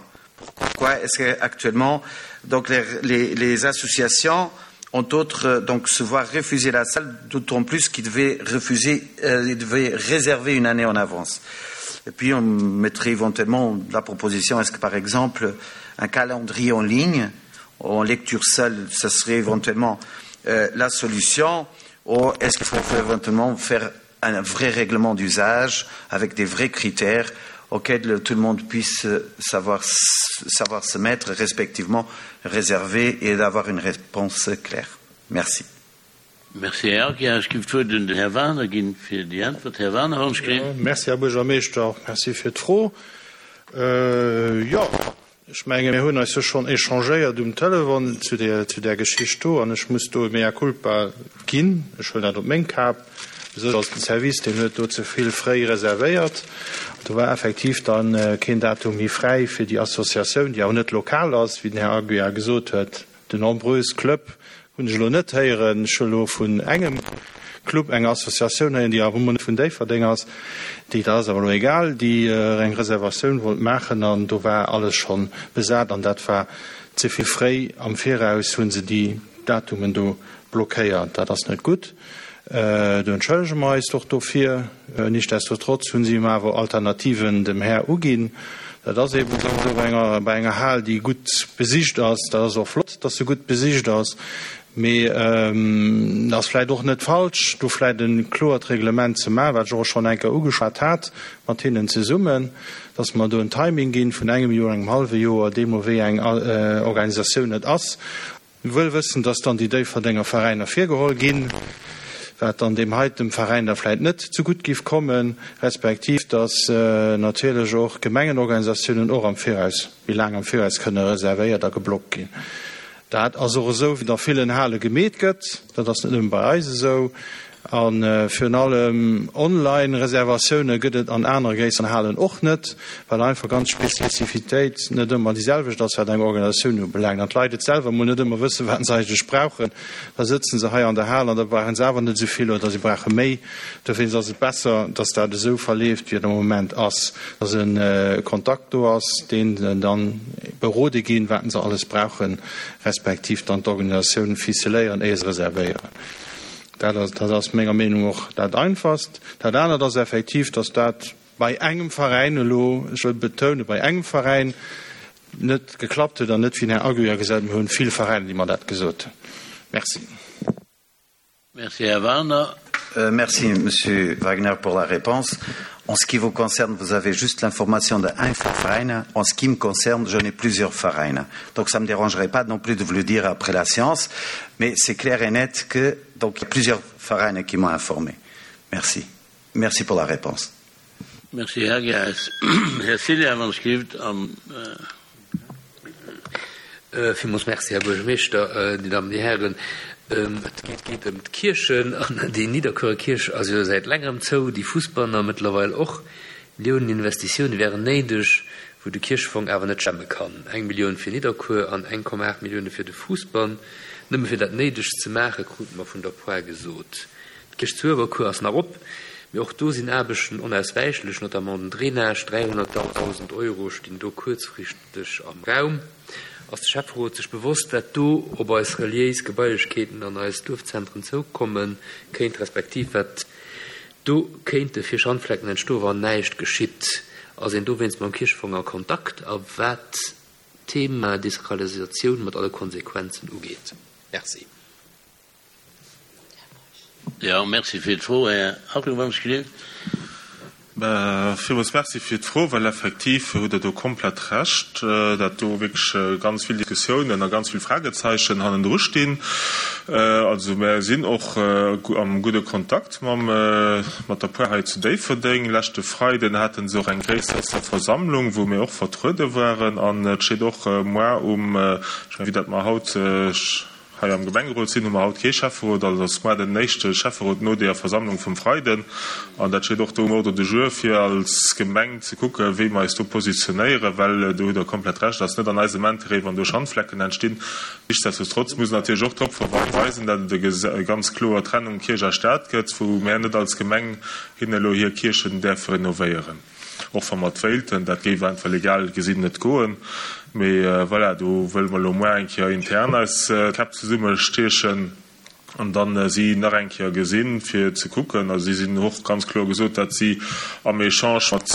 Pourquoi est-ce qu'actuellement donc les, les, les associations ont autres donc se voient refuser la salle, d'autant plus qu'ils devaient refuser, euh, ils devaient réserver une année en avance. Et puis on mettrait éventuellement la proposition, est-ce que par exemple un calendrier en ligne en lecture seule, ce serait éventuellement euh, la solution, ou est-ce qu'il faut éventuellement faire un vrai règlement d'usage avec des vrais critères auxquels le, tout le monde puisse savoir, savoir se mettre, respectivement réserver et d'avoir une réponse claire. Merci. Merci, Herr Aguiar. Ech ginn d'Wuert un den Här Werner ginn fir déi Äntwert. Här Werner, wann ech Ja, merci, Här Buergermeeschter. Merci fir d'Fro. Äh, ja, ech menge mir hunn eis jo schonn échangéiert um Telefon zu der, zu der Geschicht do an ech muss do mea culpa ginn. Ech huelen dat op meng Kap. Esou ass den Service, deen huet do ze vill fréi reservéiert. Do war effektiv dann, äh, keen Datum méi fräi fir déi Associatioun, déi awer net lokal ass, wéi den Här Aguiar gesot huet. De nombreuses Club hunn ech elo net héieren. Ech hu elo vun engem Club eng Associatioun héieren, déi awer net vun Déifferdeng ass, déi, dat ass awer elo egal, déi, äh, eng Reservatioun wollt maachen an do war alles schonn besat an dat war ze vill fréi am Viraus hunn se déi Datumen do blockéiert. Dat ass net gutt. Äh, do entschëllege mer eis doch dofir. Äh, nichtsdestotrotz hunn si awer Alternativen dem Här uginn. Dat ass eben esou bei enger, bei enger Hal, déi gutt besicht ass. Dat ass och flott, dass se gutt besicht ass. Mee, ähm, dat ass vläicht och net falsch, do vläicht e kloert Reglement ze maachen, wat ech och schonn eng Kéier ugeschwat hat, mat hinnen zesummen, dass mer do en Timing ginn vun engem Joer, engem halwe Joer, deemno wéi eng, äh, Organisatioun et ass. Wuel wëssen, dass dann déi Déifferdenger Veräiner virgeholl ginn, wat dann deem heiten Veräin da vläicht net zu gutt giff kommen, respektiv dass, äh, natierlech och Gemengenorganisatiounen och am Viraus, méi laang am Viraus kënne reservéiert a geblockt ginn. Dat ass och esou, wéi a villen Hale gemeet gëtt, dat ass net nëmme bei eis esou. An, äh, virun allem Online-Reservatioune gëtt et an anere gréisseren Halen och net, well einfach ganz Spezifitéit net ëmmer déi selwecht ass, wat eng Organisatioun ubelaangt. An d'Leit et selwer mol net ëmmer wëssen, wat se eigentlech brauchen. Da sëtzen se hei an der Hal an da brauchen se awer net esou vill oder se brauche méi. Dofir ass et besser, dass dat esou verleeft, wéi et am Moment ass, dass en, äh, Kontakt do ass, deen dann berode ginn, wat se alles brauchen, respektiv dann d'Organisatioun ficeléieren, éier se reservéieren. Dat ass, dat ass menger Meenung och dat einfachst. Dat anert ass effektiv, dass dat bei engem Veräin elo, ech wëll betounen, bei engem Veräin net geklappt huet an net wéi den Här Aguiar gesot huet, mir hunn vill Veräiner, déi mer dat gesot hunn. Merci. Merci, Herr Werner. Euh, merci, Monsieur Wagner, pour la réponse. En ce qui vous concerne, vous avez juste l'information de un Verein. En ce qui me concerne, j'en ai plusieurs Vereins. Donc ça ne me dérangerait pas non plus de vous le dire après la séance, mais c'est clair et net que donc, il y a plusieurs Vereins qui m'ont informé. Merci. Merci pour la réponse. Merci, Herr Geis. Herr Silja, wann es gibt, am, äh, Äh, villmools merci, Herr Buergermeeschter, äh, die Damen, die Herren. Ähm, et geet, geet ëm d'Kierchen an déi Nidderkuerer Kierch ass jo säit längerem zou, déi Fussbanner mëttlerweil och. Millionen Investitioune wären néideg, wou de Kierchefong awer net stemme kann. Eng Millioun fir Nidderkuer an eng Komma aacht Millioune fir de Fousbann, nëmme fir dat Néidegst ze maachen, krute mer vun der Poire gesot. D'Kierch zu Uewerkuer ass nach op, mee och do sinn Aarbechten onauswäichlech, notamment den Drainage, dräihonnertdausend Euro stinn do kuerzfristeg am Raum. Ass de Schäfferot sech bewosst, wat do op eis reliéis Gebailechkeeten an eis Duerfzentren zoukomme kéint, respektiv wat do kéinte fir Schandflecken entstoen, wann näischt geschitt? Ass een dowéinst mam Kierchefong a Kontakt a wat d'Thema Desakralisatioun mat alle Konsequenzen ugeet? Merci. Jo, merci fir d'Fro, Här Hartung, wann ech gelinn. Villmools Merci fir d'Fro, well effektiv hutt Der do komplett Recht, dat do wierklech ganz vill Diskussiounen a ganz vill Fragezeichen hannendru stinn. Also mär sinn och am gudde Kontakt mam, mat der Poire hei zu Déifferdeng. Leschte Freiden hate se och eng gréisser Versammlung, wou mir och vertruede waren. An et steet och moar um, ech mengen, vue dat mer haut, Hei am Gemengerot sinn, hu mer haut kee Schäfferot, also ass moar den éischte Schäfferot no deeër Versammlung vum Freiden. An dat steet och do um Ordre du jour, fir als Gemeng ze kucken, wéi mer eis do positionéieren, well do hutt Der komplett Recht, ass net an eisem Intérêt, wann do Schandflecken entstinn. Nichtsdestotrotz muss een natierlech och drop verweisen, datt et e ganz kloer Trennung Kierch a Staat gëtt, wou mär net als Gemeng hinne elo hir Kierchen däerfe renovéieren. Och wa mer et wéilten, dat géif einfach legal gesinn net goen. Mee voilà, do wëlle mer elo muer eng Kéier intern eis d'Käpp zesummestiechen an dann si nach eng Kéier gesinn, fir ze kucken. Also si sinn och ganz kloer gesot, datt si am Echange mat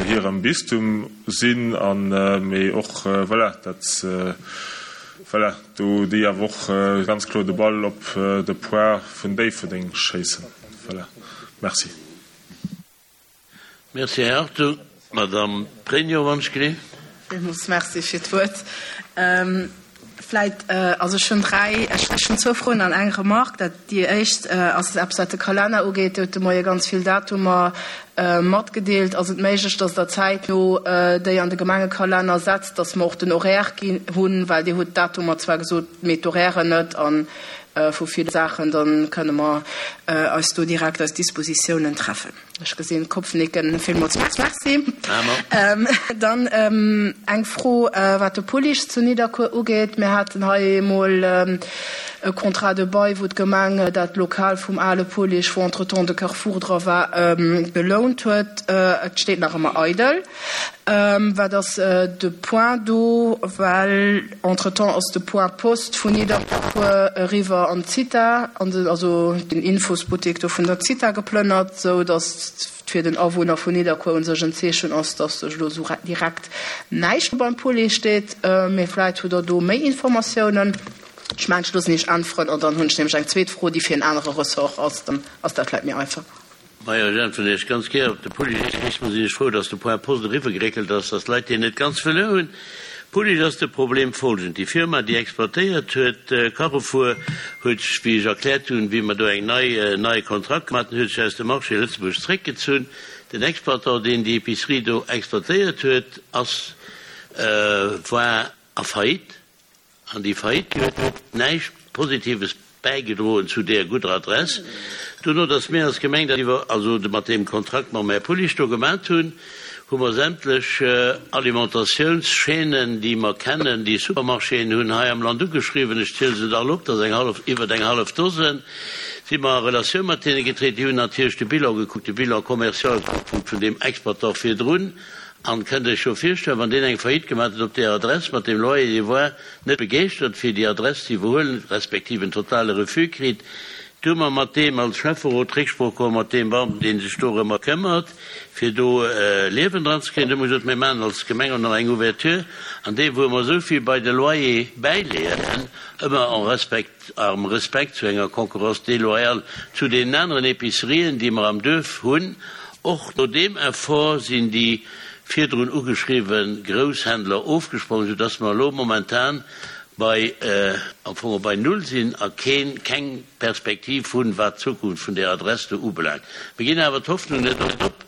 hirem Bistum sinn an, mee och voilà, datt voilà, do déi awer och ganz kloer de Ball op de Poids vun Déifferdeng schéissen. Voilà, merci. Merci, Här Hartung. Madame Pregno, wann ech gleef. Villmools Merci fir d'Wuert. Vläit, also ech hunn dräi, ech hunn zwou Froen an eng Remarque. Dat, déi éischt ass eppes, wat de Kalenner ugeet. Dir hutt de Moie ganz vill Datumer matgedeelt. Ass et méiglech, dass Der zäitno déi an de Gemengekalenner setzt, dass mer och den Horaire ginn hunn? Well Dir hutt d'Datumer zwar gesot, mee d'Horairen net. A vu ville Saachen, da kënne mer eis do direkt eis Dispositiounen treffen. Ech gesinn Kopfnicken. Villmools Merci. Dann eng Fro, wat de Pullich zu Nidderkuer ugeet. Mir haten hei emol e Contrat de bail, wou d'Gemeng dat Lokal vum ale Pullich, wou entretemps de Carrefour dra war, gelount huet. Et steet nach ëmmer eidel. Wat ass de Point do? Well entretemps ass de Point Poste vun Nidderkuer eriwwer an d'Zitha, an den, also den Infosbuttek do vun der Zitha geplënnert, sou datt et fir den Awunner vun Nidderkuer un sech en Zeechen ass, datt sech elo sou direkt näischt beim Pulli steet. Mee vläit hutt Der do méi Informatiounen. Ech mengen, ech loossen Iech äntweren an dann hunn ech nämlech eng zweet Fro, déi fir en anere Ressort ass. Dann ass dat vläit méi einfach. Majo, ech äntweren Iech ganz gär op de Pulli. Sinn ech frou, dass de Point Post eriwwergeréckelt ass, dass d'Leit deen net ganz verluer hunn. Pulli ass de Problem folgend, Déi Firma, déi exploitéiert huet, Carrefour, huet sech, wéi ech erkläert hunn, wéi mer do eng nei, en neie Kontrakt gemaach hunn, huet sech aus dem Marché Lëtzebuerg zréckgezunn. Den Exploitant, deen déi Épicerie do exploitéiert huet, ass, war a Faillite. An déi Faillite huet näischt Positives bäigedroen zu deer gudder Adress. Dono, datt mir als Gemeng dat iwwer, also mat deem Kontrakt mam Här Pullich do gemat hunn, hu mer sämtlech Alimentatiounschaînen, déi mer kennen, déi Supermarchéen hunn hei am Land ugeschriwwen, ech ziele se der all op, dat ass eng hallef, iwwert eng hallef Dosen, si mer a Relatioun mat hinne getreten. Déi hunn natierlech de Bilan gekuckt, de Bilan commercial gekuckt vun deem Exploitant virdrun. An kënnt Iech jo virstellen, wann deen eng Faillite gemaat huet op deer Adress mat deem Loyer, dee woar net begeeschtert fir déi Adress ze iwwerhuelen, respektiv en totale Refus kritt. Du hu mer mat deem als Schäfferot Récksprooch geholl, mat deem Beamten, dee sech dorëmmer këmmert, fir do Liewen dran ze kréien. Du hu mer gesot, mir maachen als Gemeng och nach eng Ouverture an deem, wou mer esou vill bei de Loyer bäileeën, ëmmer en respect, am Respekt zu enger Concurrence déloyale zu deenen aneren Epicerien, déi mer am Duerf hunn. Och no deem Effort sinn déi virdrun ugeschriwwe Grousshändler ofgesprongen, soudass mer elo momentan bei, am Fong bei Null sinn a keen, keng Perspektiv hunn, wat d'Zukunft vun där Adress do ubelaangt. Mir ginn awer d'Hoffnung net op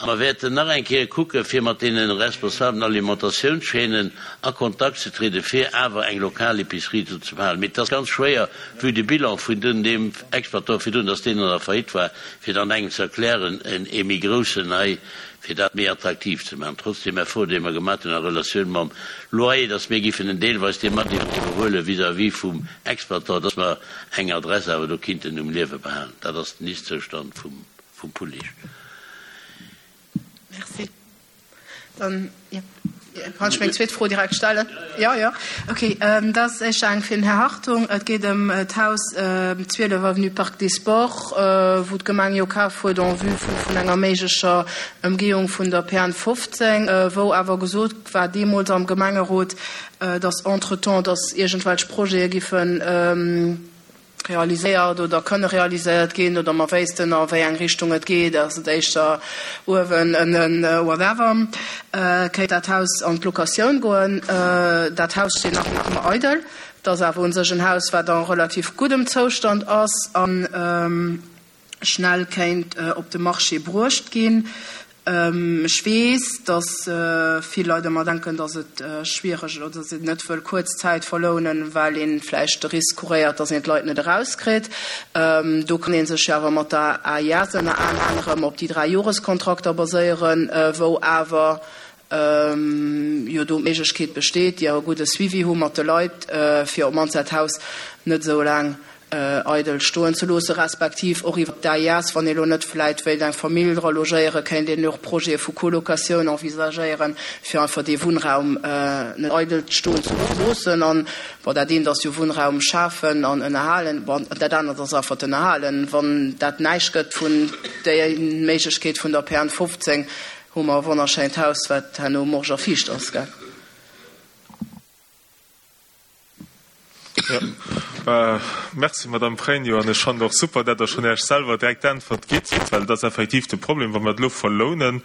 A mer wäerten nach eng Kéier kucken, fir mat deene responsablen Alimentatiounschaînen a Kontakt ze trieden, fir awer eng lokal Épicerie do ze behalen. Mee et ass ganz schwéier, vue de Bilan vun deem Exploitant virdrun, dass deen an der Faillite war, fir dann engem ze erklären, ee méi groussen hei, fir dat méi attraktiv ze maachen, trotz deem Effort, dee mer gemaach hunn a Relatioun mam Loyer, dass mir giffen en deelweis dee mat iwwerhuele vis-à-vis vum Exploitant, dass mer eng Adress awer do kinnten um Liewe behalen. Dat ass den Ist-Zoustand vum Pullich. Merci. Dann, jo, kann ech meng zweet Fro direkt stellen? Jo, jo. Okay, dat ass éischter eng fir den Här Hartung. Et geet ëm d'Haus zwielef avenue Parc des Sports, wou d'Gemeng jo kaf huet en vue vun enger méiglecher Ëmgehung vun der P N fofzéng, wou awer gesot war deemools am Gemengerot, dass entretemps, dass iergendwelch Projete giffen realiséiert oder kënne realiséiert ginn oder mer wéissten, a wéi eng Richtung et geet, ass et éischter uewen, ënnen, whatever, kéint dat Haus an d'Locatioun goen. Dat Haus steet nach ëmmer eidel. Dat ass awer u sech en Haus, wat a relativ guddem Zoustand ass a schnell kéint op de Marché bruecht ginn. Ech weess, datt vill Leit ëmmer denken, datt et schwiereg oder datt een net wëll kuerz Zäit verlounen, well ee vläicht de Risk couréiert, datt een d'Leit net erauskritt. Do kann ee sech jo awer mat der A I S ënner anerem op déi dräi Joreskontrakter baséieren, wou awer jo do d'Méiglechkeet besteet, déi awer e gudde Suivi hu mat de Leit, fir op d'mannst dat Haus net esou laang eidel stoen ze loossen, respektiv och iwwer d'A I S, wann ee lo net vläit wéilt eng Famill dra logéieren, kéint een och Projete vu Colocatioun envisagéieren, fir einfach dee Wunnraum net eidel stoen ze loossen. An, bon, dat eent ass jo Wunnraum schafen an ënnerhalen, bon, dat anert ass einfach d'Ënnerhalen. Wann dat näischt gëtt vun der Méiglechkeet vun der P N fofzéng, hu mer e wonnerschéint Haus, wat herno morsch a fiicht ass, gell? Ja. Merci, Madame Pregno. An ech fand och super, dat Der schon Iech selwer direkt d'Äntwert gitt, well dat ass effektiv de Problem, wa mer et elo verlounen,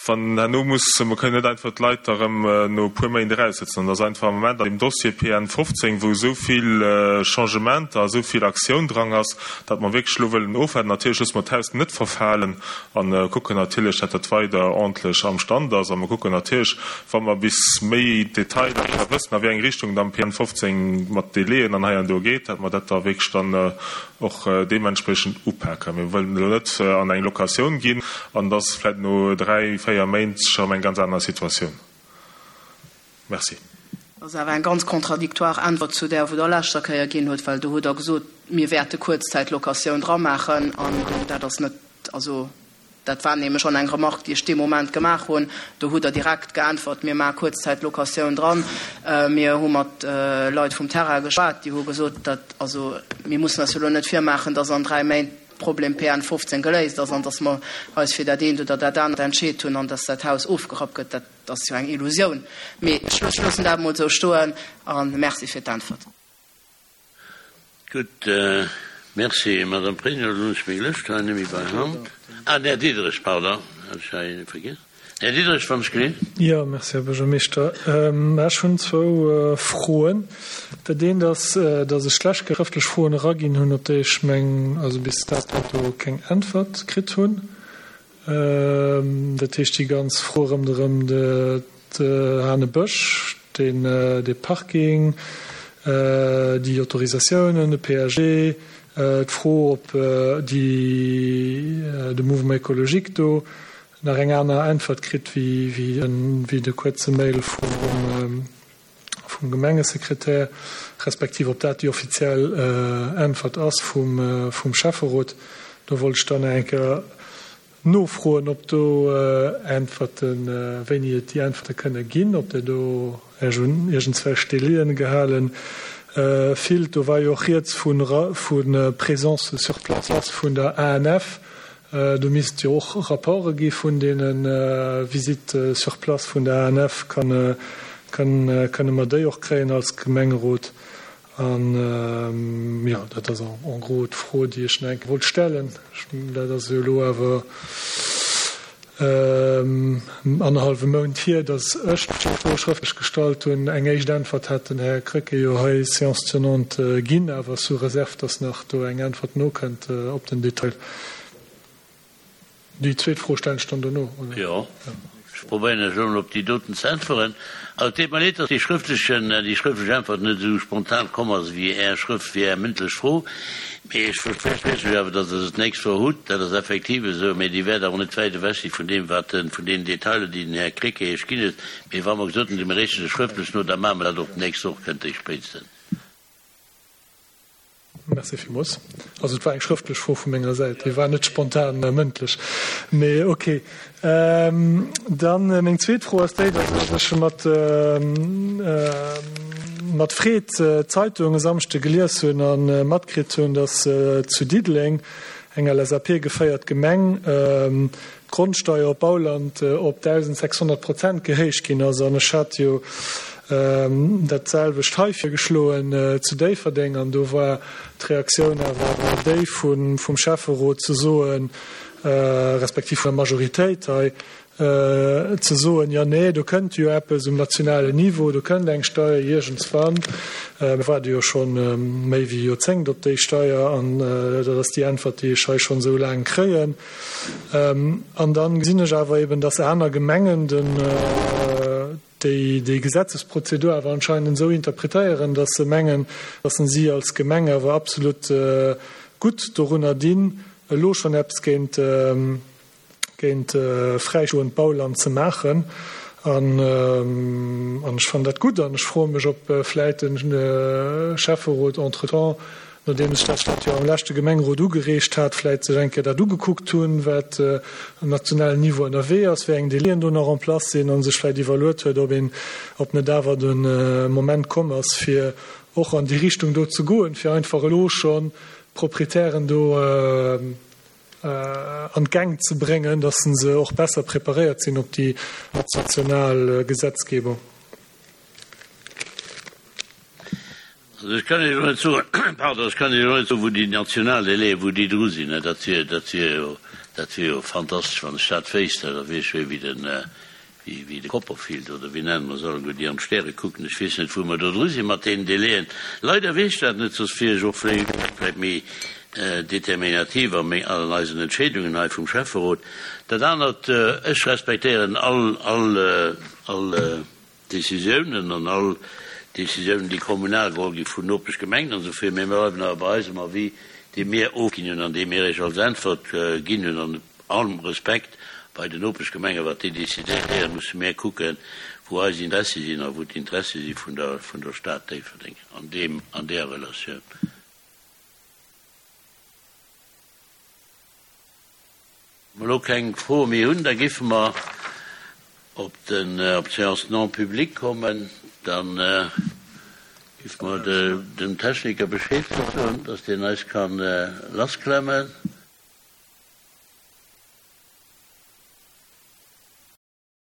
wann herno muss, mer kënnen net einfach d'Leit da rëm no e puer Méint eraussetzen. An dat ass einfach am Moment an dem Dossier P N fofzéng, wou esou vill Changementer, esou vill Aktioun dran ass, datt mer wierklech elo wëllen ofwarten. Natierlech loosse mer d'Haus net verfalen an kucken natierlech, datt dat weider ordentlech am Stand ass. A mer kucken natierlech, wa mer bis méi Detailer wëssen, a wéi eng Richtung dann P N fofzéng mat Délaiën an hei an do geet, datt mer dat da wierklech dann och deementsprechend upaken. Mir wëllen elo net an eng Locatioun ginn an dass vläicht no dräi, véier Méint schon eng ganz aner Situatioun. Merci. Dat ass awer eng ganz contradictoire Äntwert zu där, wou der leschter Kéier ginn huet, well do huet der gesot, mir wäerte Kuerzzäitlocatioun dra maachen an dat ass net, also dat war nämlech schon eng Remarque, déi ech dee Moment gemaach hunn. Do huet der direkt geäntwert, mir maache Kuerzzäitlocatioun dran. Mir hu mat Leit vum Terrain geschwat, déi hu gesot, dat, also mir mussen eis jo elo net virmaachen, dass an dräi Méint Problem P N fofzéng geléist ass an dass mer eis fir dat eent oder dat anert entscheet hunn an dass dat Haus ofgerappt gëtt. Dat ass jo eng Illusioun. Mee ech loossen dat mol esou stoen an merci fir d'Äntwert. Gutt, merci, Madame Pregno. Dann hunn ech meng Lëscht hei net méi bei Hand. Ah, den Här Diderich, pardon, hat ech hei vergiess. Här Diderich, wann ech geleet. Jo, merci, Här Buergermeeschter. Ech hunn zwou Froen. Dat eent ass, datt ech schlecht schrëftlech Froen eraginn hunn, op déi ech meng, also bis dato keng Äntwert kritt hunn. Dat heescht, déi ganz Fro rëmderëm de Hanebësch, den, de Parking, déi Autorisatiounen, de P A G, d'Fro, ob déi, de Mouvement écologique do nach eng aner Äntwert kritt wéi, wéi, wéi de kuerze Mail vum, vum Gemengesekretär, respektiv ob dat déi offiziell Äntwert ass vum, vum Schäfferot. Do wollt ech dann eng Kéier nofroen, ob do Äntwerten, wéini et déi Äntwerte kënne ginn, ob der do Iech un iergendzwelch Délien gehalen fillt. Do war jo och rieds vun, vun Présence sur place vun der A N F. Do misst jo och Rapporte gi vun deene Visite sur place vun der A N F. Kann, kann, kënne mer déi och kréien als Gemengerot? An, ja, dat ass en, en gros d'Fro, déi ech nach eng Kéier wollt stellen. Dat ass jo elo awer anderhalfe Mount hier, datt ech d'Fro schrëftlech gestallt hunn. Eng éischt Äntwert hat den Här Krecké jo hei séance tenante ginn, awer sous réserve, datt nach do eng Äntwert nokënnt op den Detail. Déi zweet Fro stellen ech dann dono, oder? Jo, ech probéieren elo emol op déi doten ze äntweren. Also et deet mer leed, datt dee schrëftlechen, déi schrëftlech Äntwert net esou spontan komm ass wéi Är Schrëft, wéi Är mëndlech Fro. Mee ech versprieche lech awer, datt Der se d'nächst Woch hutt. Dat ass effektiv esou, mee déi wäert awer net wäit ewech si vun deem, wat den, vun deenen Detailer, déi den Här Krecké Iech ginn huet. Mee wa mer gesot hunn, mir reechen se schrëftlech no, da maache mer dat och d'nächst Woch, kënnt déi spéitstens. Merci villmools. Also et war eng schrëftlech Fro vu menger Säit, déi war net spontan mëndlech. Mee okay. Dann meng zweet Fro ass déi, datt ech mat mat Freed d'Zeitung e Samschde gelies hunn a matkritt hunn, datt zu Diddeleng, eng L S A P-geféiert Gemeng, d'Grondsteier op Bauland op dausendsechshonnert Prozent gehéicht ginn ass. An ech hat jo dat selwecht hei virgeschloen zu Déifferdeng, an do war d'Reaktioun awer déi vum Schäfferot ze soen, respektiv vun der Majoritéit hei, ze soen, jo nee, do kënnt jo eppes um nationalen Niveau, do kënnt eng Steier iergendswann. Mir waarde jo scho méi wéi e Joerzéngt op déi Steier, an dat ass déi Äntwert, déi ech hei schonn esou laang kréien. An da gesinn ech awer eben, dass aner Gemengen den, déi déi Gesetzesprozedur awer anscheinend esou interpretéieren, dass se mengen, dass si als Gemeng awer absolut gutt dorunner dinn, elo schonn eppes géint géint fräistoend Bauland ze maachen. An ech fannen dat gutt an ech froe mech, ob vläit de Schäfferot entretemps, nodeem ech dat jo am leschte Gemengerot ugereegt hat, vläit sech eng Kéier dat ugekuckt hunn, wat um nationalen Niveau ënnerwee ass, wéi eng Délien do nach en place sinn, a sech vläit iwwerluet huet, ob een, ob net awer de Moment komm ass, fir och an déi Richtung do ze goen, fir einfach elo schonn d'Proprietären do an d'Gäng ze bréngen, dass se och besser preparéiert sinn op déi national Gesetzgebung. Also ech kann Iech elo net soen, pardon, ech kann Iech elo net soen, wou déi national Délaië, wou déi dru sinn. Dat wier, dat wier jo, dat wier jo fantastesch, wann ech dat wéisst. Da wier ech wéi den, wéi, wéi de Copperfield oder wéi nennen mer se alleguer, déi an d'Stäre kucken. Ech weess net, wou mer do dru si mat deenen Délaiën. Leider weess ech dat net, soss wier ech och vläicht méi determinativ a meng, an eisen Entscheedungen hei vum Schäfferot. Dat anert, ech respektéieren all, all, all Décisiounen an all Décisiounen, déi kommunal geholl gi vun Nopeschgemengen an esou vill, mä mir bleiwen awer bei eisem Avis, dee mir ofginn hunn an dee mir Iech als Äntwert ginn hunn. An allem Respekt bei den Nopeschgemengen, wat déi décidéieren, musse mir kucken, wou eis Interessi sinn a wou d'Interessi si vun der, vun der Stad Déifferdeng an deem, an där Relatioun. Wa mer elo keng Froe méi hunn, da géife mer op den, op d'Séance non publique kommen. Da géife mer dem Techniker Bescheed soen, dass deen eis ka lassklemmen.